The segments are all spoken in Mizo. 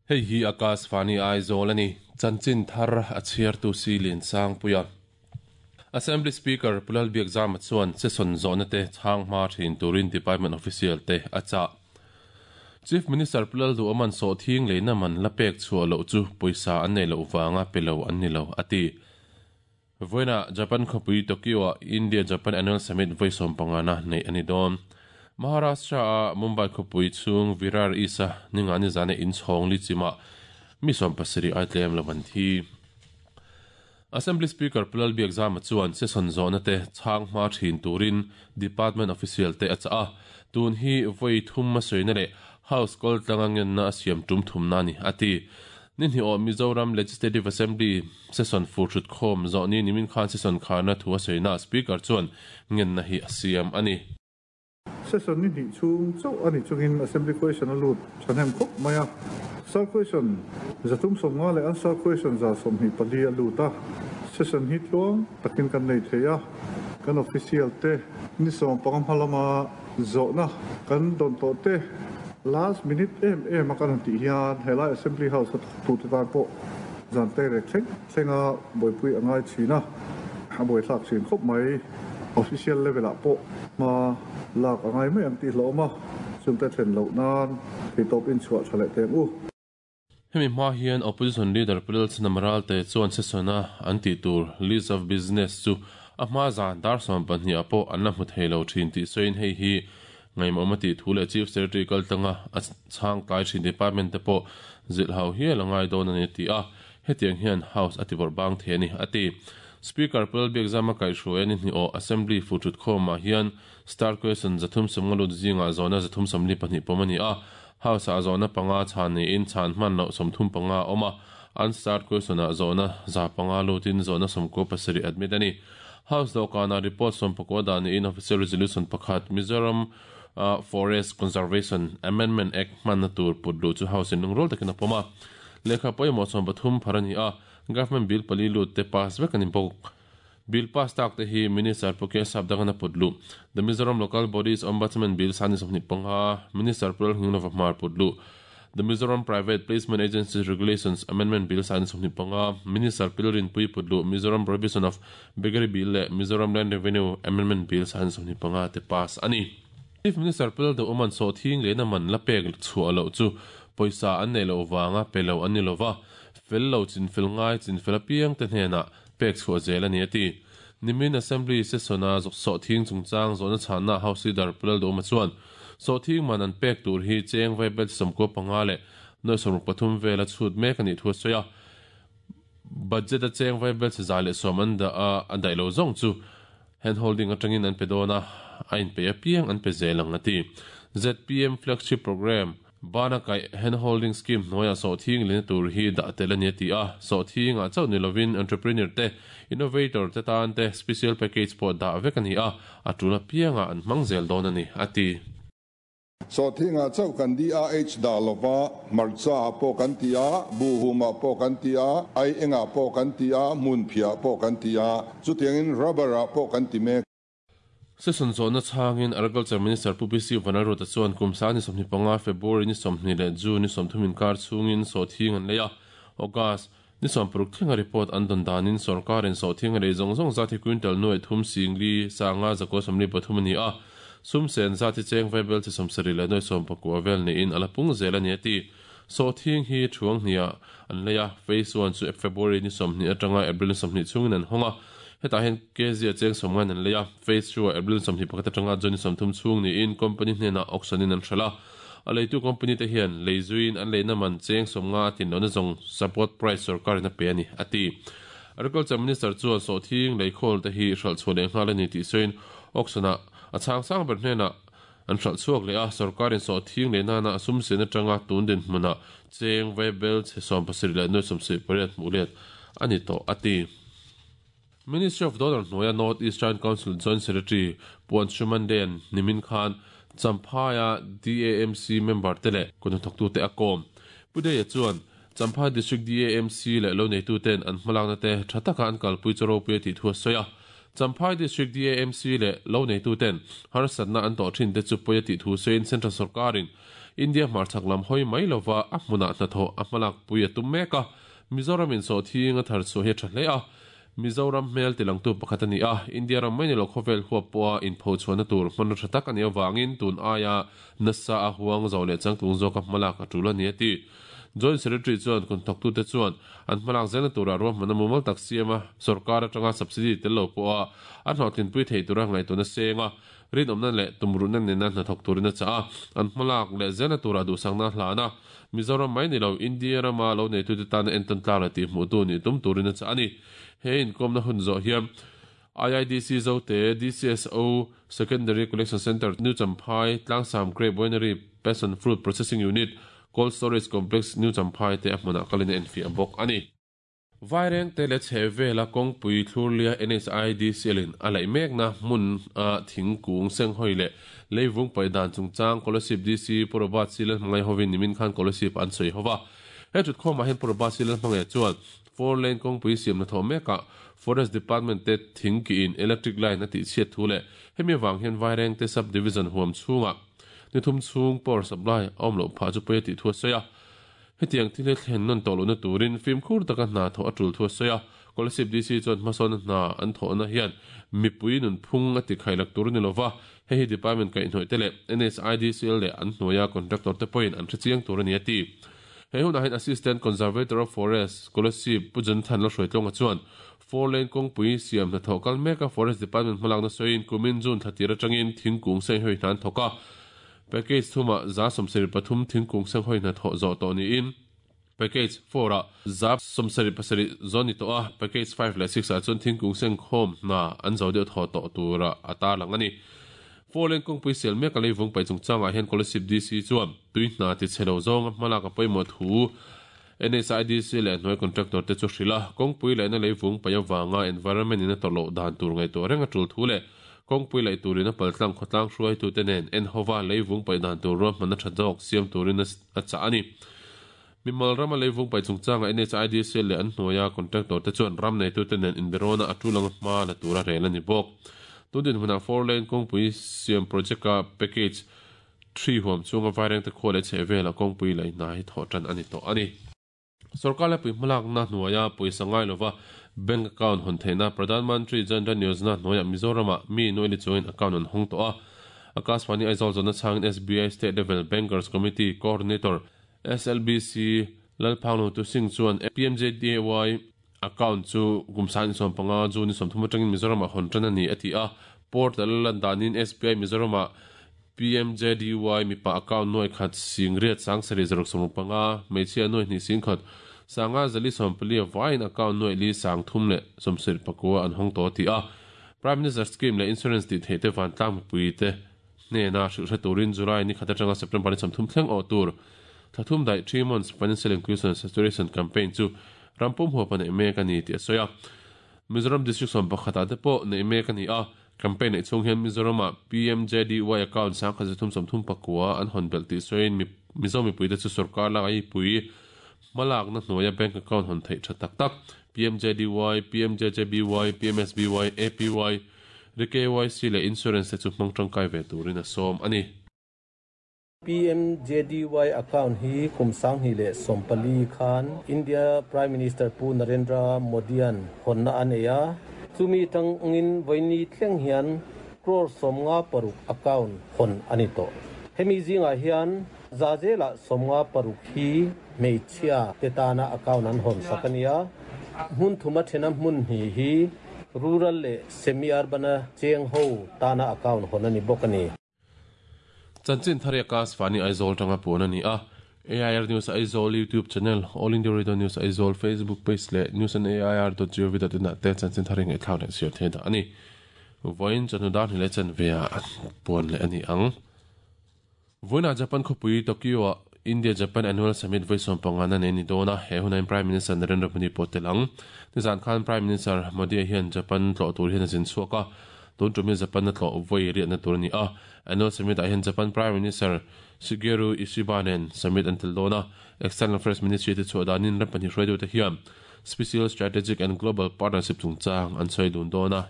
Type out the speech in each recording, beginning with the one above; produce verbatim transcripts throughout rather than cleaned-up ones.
Hei hi Akashvani Aizawl ani chanchin thar a chhiartu si lian sang puia. Assembly Speaker Pulal Biakzama chuan session zawhna te chhang hma thin turin Department official te a chah. Chief Minister Pulal Duaman so thing leina man la pek chhuah loh chu pawisa an nei loh vanga pe lo an ni lo ati. Voina Japan khawpui Tokyo a India Japan Annual Summit voi sawm pangana nei ani dawn. Maharashtra a Mumbai khawpui chung Virar Isa ninga ni zane in chhawng li chima mi sawm pasarih ai tlem lo an thi. Assembly Speaker Pulal Biakzama chuan session zawhna te chhang hma thin turin Department official te a chah a. Tun hi voi thum ma sawi le House kal tlanga ngenna a siam tum thum na ni ati. Ni hni aw Mizoram Legislative Assembly session fu thut khawm zawh ni nimin khan session khana thu a sawi na Speaker chuan ngenna hi a siam ani. Session ni hnih chhung chauh ani chungin Assembly question a lut thahnem khawp mai a. Star question zathum sawmnga leh answer question za sawmhnih pali a lut a. Session hi tluang takin kan nei thei a. Kan official te ni sawm panga hma lama zawhna kan dawn tawh te last minute em em a kan han tih hian helai Assembly House a thawktu te tan pawh zan te rek thleng thlenga buaipui a ngai thin a. A buaithlak thin khawp mai. Official level ah pawh hma lak a ngai mai ang tih hlawm a. Chungte thlen loh nan theitawp in chhuah tha leh teng u. Hemi hma hian opposition leader Pulal Chinamaral te chuan session a an tih tur list of business chu a hma zan dar sawm pahnih ah pawh an la hmu thei lo thin tih sawiin hei hi ngaimawm a tih thu leh Chief Secretary kal tlanga a chhang tlai thin department te pawh zilh hau hial a ngai dawn ani ti a. Hetiang hian House a ti bawrh bang thei ani ati. Speaker Pulal Biakzama kaihhruai ani hni aw Assembly fu thut khawmah hian star question zathum sawmnga lut zingah zawhna zathum sawmli pahnih pawm ani a. House a zawhna panga chhan niin chhan hman loh sawmthum panga a awm a. An star question ah zawhna za panga lutin zawhna sawmkua pasarih admit ani. House dawhkanah report sawm pakua dah niin official resolution pakhat Mizoram Forest Conservation Amendment Act hmanna tur put luh chu House in lungrual takin a pawm a. Lehkha pawimawh sawm pathum phar ani a. Government bill pali lut te pass vek ani bawk. Bill pass tak te hi Minister Puke Sapdangana put luh. The Mizoram Local Bodies Ombudsman Bill sani sawmhnih panga Minister Pulal Hninglova hmar put luh. The Mizoram Private Placement Agencies Regulations Amendment Bill sani sawmhnih panga Minister Pilrin Pui put luh. Mizoram Prohibition of Beggary Bill leh Mizoram Land Revenue Amendment Bill sani sawmhnih panga te pass ani. Chief Minister Pulal Duaman so thing leina man la pek chhuah loh chu pawisa an nei loh vanga pe lo an ni lova. Fel lo chin fel ngai chin fel apiang te hnenah pek chhuah zel ani ati. Nimin Assembly session a so thing chungchang zawhna chhanna House Leader Pulal Duama chuan so thing man an pek tur hi cheng vai bel sawmkua panga leh nuai sawmruk pathum vela chhut mek ani thu a sawi a. Budget a cheng vai bel chi za leh sawm an dah a a daih lo zawng chu hand holding atangin an pe dawn a a in pe apiang an pe zel ang ati. Z P M flagship program bana kai hand holding scheme hnuaiah so thing lena tur hi dah tel ani ati a. So thing ah chauh ni lovin entrepreneur te innovator te tan te special package pawh dah vek ani a. A tul apiangah an hmang zel dawn ani ati. So thing ah chauh kan D R H dah lova marcha pawh kan ti a, buhuma pawh kan ti a, ai enga pawh kan ti a, hmun phiah pawh kan ti a, chutiangin rubber ah pawh kan ti mek. Session zawhna chhangin Agriculture Minister Pu P C Vanlalruata chuan kum sang ni sawmhnih panga February ni sawmhnih leh June ni sawmthum inkar chhungin sawhthing an lei a. August ni sawm paruk thlenga report an dawn danin sorkarin sawhthing a lei zawng zawng zat hi quintal nuai thum singli sanga zakua sawmli pathum ani a. Sum sen zat hi cheng vai bel chi sawmsarih leh nuai sawm pakua vel niin a la pung zel ani ati. Sawhthing hi thuang hniah an lei a. Phase one chu February ni sawmhnih atanga April ni sawmhnih chhungin an hawng a. Hetah hian K Z a cheng sawmngan an lei a. Phase two ah April sawmhnih pakhat atanga June sawmthum chhung niin company hnenah auction in an hralh a. A leitu company te hian lei zuiin an leina man cheng sawmnga a tin lohna zawng support price sorkarin a pe ani ati. Agriculture Minister chuan sawhthing lei khawl te hi hralh chhuah leh nghal ani tih sawiin auction ah a chhang sang ber hnenah an hralh chhuak leh a. Sorkarin sawhthing lei nana a sum sen atanga tun din hmunah cheng vai bel chhe sawm pasarih leh nuai sawmsarih pariat hmuh let ani tawh ati. Ministry of Donor hnuaia North Eastern Council Joint Secretary Puan Shuman Den nimin khan Champhaiah D A M C member te leh kawhnathawktu te a kawm. Pudeia chuan Champhai District D A M C leh lo neitu ten an hmalakna te tha taka an kalpui chu ropui a tih thu a sawi a. Champhai District D A M C leh lo neitu ten harsatna an tawh thin te chu pawi a tih thu sawiin Central Sarkarin India hmarchhak lam hawi mai lova a hmunah hnathawh a hmalak pui a tum mek a Mizoram in sawhthing a thar chhuah hi a tha hle a Mizoram hmel tilangtu pakhat a ni a India ram mai ni lo khawvel huap pawha inphochhuahna tur hmanraw tha tak a nih avangin tun aia nasa a huang zo leh changtlung zawka hmalak a tul a ni a ti Joint Secretary chuan kun thawktute chuan an hmalak zelna tura ruahmanna mumal tak siam a sorkar atanga subsidy tel lo pawha a hlawhtlinpui thei tura ngaihtuahna seng a rinawmna leh tumruhna nena hnathawk turin a chah a an hmalak leh zelna tura duhsakna hlan a Mizoram mai ni lo India rama lo neitute tana entawn tlak leh tihhmuhtu nih tum turin a chah a ni he inkawmna hun zawh hian I I D C Zote D C S O Secondary Collection Centre New Champhai Tlangsam Grape Winery Passion Fruit Processing Unit Cold Storage Complex New Champhai te a hmunah kalin a enfiah bawk a ni. Vairengte leh chhe vela kawngpui thlurlia N H I D C L in a laih mekna hmun a thingkung senghawi leh leivung paih dan chungchang Kolasib D C Purwabat Silal hmangaih hovin nimin khan Kolasib an sawi hova. He thutkhawmah hian Purwabat Silal hmangaih chuan four lane kawngpui siamna thawh mekah Forest Department te thingkiin electric line a tihchhiat thu leh hemi avang hian Vairengte Sub Division huam chhungah ni thum chhung power supply a awm loh phah chu pawi a tih thu a sawi a hetiang thil hi thlen nawn tawh lohna turin fimkhur taka hna thawh a tul thu a sawi a Kolasib D C chuan hmasawnna hna an thawhna hian mipui nun phung a ti khailak tur a ni lova hei hi department kaihhnawih te leh N H I D C L leh an hnuaia contractor te pawhin an hrechiang tur a ni a ti he hunah hian Assistant Conservator of Forest Kolasib Pu Jonathan Lalhruaitlawnga chuan four lane kawngpui siam hnathawh kal meka Forest Department hmalakna sawiin kumin June thla atangin thingkung senghawi hna an thawk a package thuma za sawmsarih pathum thingkung senghawi hna thawh zawh tawh niin package four a za sawmsarih pasarih zawn ni tawh a package five leh six ah chuan thingkung sengkhawm hna an zo deuh thaw tawh tura a tarlang a ni four lane kawngpui sial mek a leivung paih chungchangah hian Kolasib D C chuan tui hna ti chhe lo zawng a hmalak a pawimawh thu N H I D C leh hnuai contractor te chu hril a kawngpui lehna leivung paih avanga environment in a tawrh loh dan tur ngaihtuah reng a tul thu leh kawngpui laih turin a paltlang khawtlang hruaitute nen en hova leivung paih dan tur ruahmanna tha zawk siam turin a chah a ni mimal rama leivung paih chungchanga N H I D C leh an hnuaia contractor te chuan ram neitute nen inberawna a tulang hma la tura rel a ni bawk tundin hmunah four lane kawngpui siam project a package three huam chunga Vairengte khua leh chheh vela kawngpui laih hna hi thawh tan a ni tawh a ni Sarkar lepui hmalakna hnuaia pawisa ngai lova bank account hawn theihna Pradhan Mantri Jan Dhan Yojana hnuaia Mizorama mi nuaili chungin account an hawng tawh a Akashvani Aizawl zawhna chhangin S B I State Level Bankers Committee Coordinator S L B C Lalphanglo Tu Singh chuan P M J D Y account chu kumsan sawm panga June ni sawmthum atangin Mizorama hawn tan a ni a ti a portal lan danin S B I Mizorama P M J D Y mipa account nuai khat sing riat sang sari zaruk sawm panga hmeichhia nuai hnih sing khat sanga zali sawmpali vain account nuai li sang thum leh sawmsarih pakua an hawng tawh ti a Prime Minister scheme leh insurance tih theih te van tlang mipui te hnena hrilh hre turin July ni khat atanga September ni sawmthum thleng awh tur thathum daih three months financial inclusion saturation campaign chu rampum huapa neih mek a ni tih a sawi a Mizoram district sawm pakhatah te pawh neih mek a ni a campaign neih chhung hian Mizorama P M J D Y account sang khat zathum sawmthum pakua an hawn belh tih sawiin Mizo mipui te chu sorkar lak ai pui hmalakna hnuaia bank account hawn theih tha tak tak P M J D Y P M J J B Y P M S B Y A P Y R K Y C leh insurance te chu hmang tangkai ve turin a sawm a ni P M J D Y account hi kumsang hi le sompali khan India Prime Minister Pu Narendra Modian honna aneya chumi tang ngin voini thleng hian crore somnga paruk account hon anito hemi zinga hian zazela somnga paruk hi meichhia tetana account an hon sakania hun thuma thena mun hi hi rural le semi urban cheng ho tana account honani bokani Chanchin thari Akashvani Aizawl tanga pun ani a A I R News Aizawl YouTube channel All India Radio News Aizawl Facebook page leh news and A I R dot gov dot in ah te chanchin thari ngai thlau leh siar thei dah ani voin chanu dar ni le chan vea puan leh ani ang voina Japan khawpui Tokyo ah India Japan Annual Summit voi sawm panga na nei ni dawn a he hunain Prime Minister Narendra Modi pawh tel ang nizan khan Prime Minister Modi hian Japan tlawh tur hian a zin chhuak a tun tumi Japan na tlawh voi riatna tur ani a Annual Summit ah hian Japan Prime Minister Shigeru Ishiba nen summit an tel dawn a External Affairs Ministry te chhuah danin ram pahnih hruaitu te hian Special Strategic and Global Partnership chungchang an sawi dun dawn a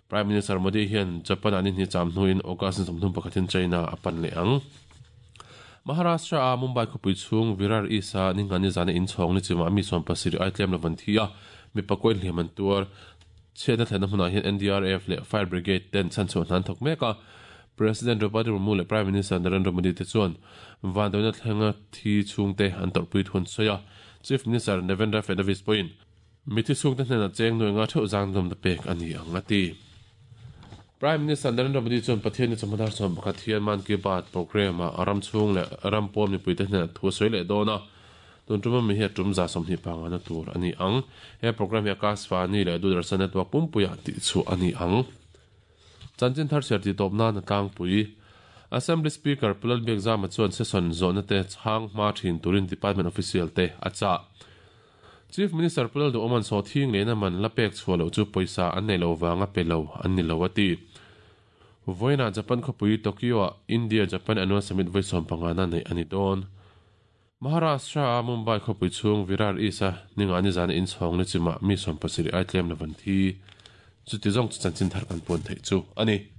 Prime Minister Modi hian Japan anin hi cham hnuin August ni sawmthum pakhatin China a pan leh ang Maharashtra a Mumbai khawpui chhung Virar East-a ningani zana inchhawng ni chima mi sawm pasarih ai tlem lo van thi a, mi pakua inhliam an tuar. Chhiatna thlenna hmunah hian N D R F leh Fire Brigade ten chhanchhuah hna an thawk mek a. President Draupadi Murmu leh Prime Minister Narendra Modi te chuan vanduaina thlenga thi chhungte an tawrhpui thu an sawi a. Chief Minister Devendra Fadnavis pawhin mithi chhungte hnenah cheng nuai nga theuh zang dawmna pek a ni ang a ti. Prime Minister Narendra Modi chuan Pathian ni chawhma dar sawm pakhat hian Mann Ki Baat programme-ah ram chhung leh ram pawn mipuite hnenah thu a sawi leh dawn a. Tun tuma mi hi a tum za sawmhnih pangana tur a ni ang. He programme hi Akashvani leh Doordarshan Network pumpuiah tih chhuah a ni ang. Chanchin thar chhiar tih tawp nan a tlangpui. Assembly Speaker Pu Lalbiakzama chuan session zawhna te chhang hma thin turin department official te a chah. Chief Minister Pu Lalduhawman sawhthing lehna man la pek chhuah loh chu pawisa an nei lo vanga pe lo an ni lo a ti. Vawiinah Japan khawpui Tokyo-ah India-Japan Annual Summit vawi sawm pangana neih a ni dawn. Maharashtra a Mumbai khawpui chhung Virar East-a ninga ni zana inchhawng ni chimah mi sawm pasarih ai tlem lo van thi. Chuti zawng chu chanchin thar kan puan theih chu a ni.